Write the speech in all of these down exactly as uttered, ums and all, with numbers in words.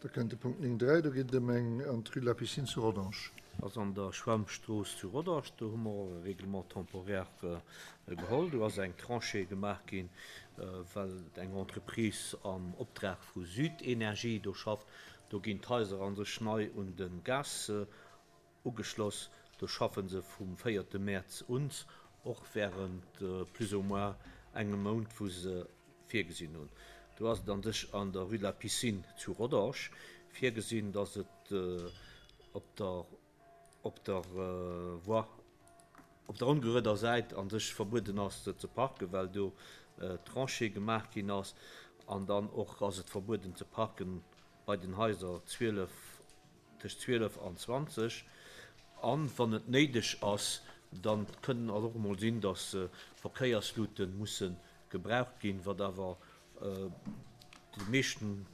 Da kënnt de Punkt néng dräi, do geet et ëm eng an d'Rue de la Piscine zu Rodange. Ass an der Schwämmstrooss zu Rodange. Do hu mer och e Règlement temporaire geholl. Do ass eng Tranchée gemaach ginn, well eng Entreprise am Optrag vu Südenergie do schafft. Do ginn d'Haiser a sech nei un de Gas ugeschloss. Do schaffe se vum véierte Mäerz un, och während plus ou moins engem Mount, wou se virgesinn hunn. Do ass et an sech an der Rue de la Piscine zu Rodange virgesinn, dass et op der op der Voie, op der ongerueder Säit an sech verbueden ass ze parken, well do Tranchée gemaach ginn ass. An dann och ass et verbueden ze parken bei den Haiser zwielef, tëscht zwielef an zwanzeg. An wann et néideg ass, dann kënnen et och emol sinn, dass Verkéierslute musse gebraucht ginn, wat awer de meeschten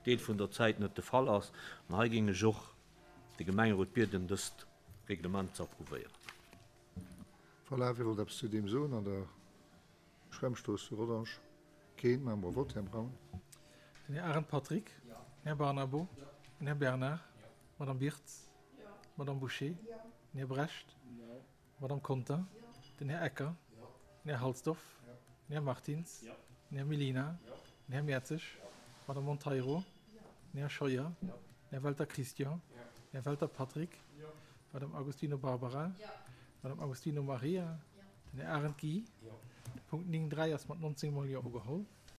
Deel vun der Zäit net de Fall ass. An hei géing ech och de Gemengerot bieden, dëst Reglement ze approuvéieren. Voilà, wie wollt eppes zu deem soen an der Schwämmstrooss zu Rodange? Keen? Maache mer e Vott. Här Braun. Den Här Arendt Patrick. Den Här Barnabo. Den Här Bernard. D'Madame Birtz. D'Madame Bouché. Den Här Brecht. D'Madame Conter. Den Här Ecker. Den Här Halsdorf. Den Här Martins. Den Här Mellina. Den Här Mertzig. D'Madame Monteiro. Den Här Scheuer. Den Här Welter Christian. Den Här Welter Patrick. D'Madame Agostino Barbara. D'Madame Agostino Maria. Den Här Arendt Guy. De Punkt néng dräi ass mat nonzéng mol Jo ugeholl.